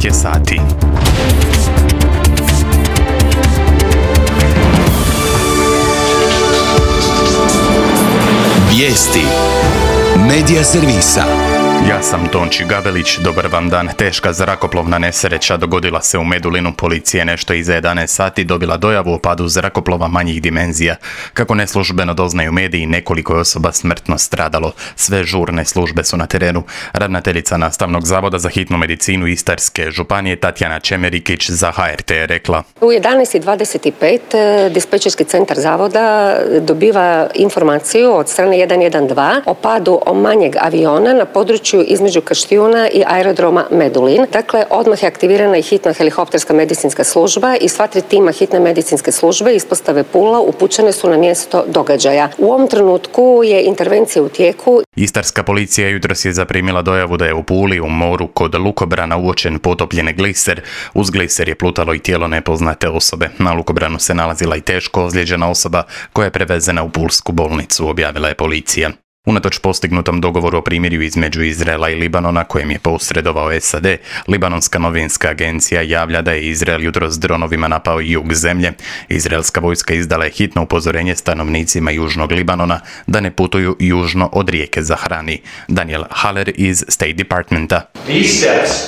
je sati. Vijesti Medija servisa. Ja sam Tonči Gavelić, dobar vam dan. Teška zrakoplovna nesreća dogodila se u Medulinu. Policija je nešto iza 11 sati dobila dojavu o padu zrakoplova manjih dimenzija. Kako neslužbeno doznaju mediji, nekoliko je osoba smrtno stradalo. Sve žurne službe su na terenu. Ravnateljica Nastavnog zavoda za hitnu medicinu Istarske županije Tatjana Čemerikić za HRT je rekla: U 11:25 dispečerski centar zavoda dobiva informaciju od strane 112 o padu manjeg aviona na području između Kaštijuna i aerodroma Medulin. Dakle, odmah je aktivirana i hitna helikopterska medicinska služba i sva 3 tima hitne medicinske službe ispostave Pula upućene su na mjesto događaja. U ovom trenutku je intervencija u tijeku. Istarska policija jutros je zaprimila dojavu da je u Puli u moru kod lukobrana uočen potopljeni gliser. Uz gliser je plutalo i tijelo nepoznate osobe. Na lukobranu se nalazila i teško ozlijeđena osoba koja je prevezena u pulsku bolnicu, objavila je policija. Unatoč postignutom dogovoru o primirju između Izraela i Libanona, kojem je posredovao SAD, Libanonska novinska agencija javlja da je Izrael jutros s dronovima napao jug zemlje. Izraelska vojska izdala je hitno upozorenje stanovnicima južnog Libanona da ne putuju južno od rijeke Zahrani. Daniel Haller iz State Departmenta.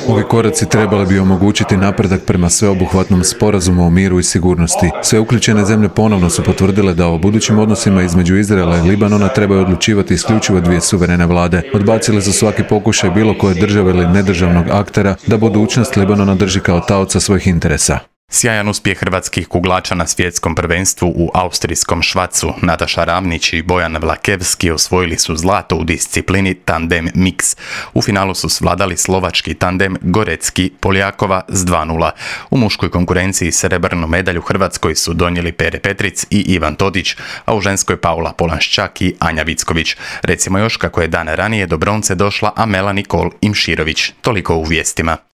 Ovi koraci trebali bi omogućiti napredak prema sveobuhvatnom sporazumu o miru i sigurnosti. Sve uključene zemlje ponovno su potvrdile da o budućim odnosima između Izraela i Libanona trebaju odlučivati isključivo 2 suverene vlade. Odbacili su svaki pokušaj bilo koje države ili nedržavnog aktera da budućnost Libanona drži kao taoca svojih interesa. Sjajan uspjeh hrvatskih kuglača na svjetskom prvenstvu u austrijskom Švacu. Nataša Ravnić i Bojan Vlakevski osvojili su zlato u disciplini tandem mix. U finalu su svladali slovački tandem Gorecki Poljakova s 2:0. U muškoj konkurenciji srebrnu medalju Hrvatskoj su donijeli Pere Petric i Ivan Todić, a u ženskoj Paula Polanščak i Anja Vicković. Recimo još kako je dan ranije do bronce došla Amela Nikol Imširović. Toliko u vijestima.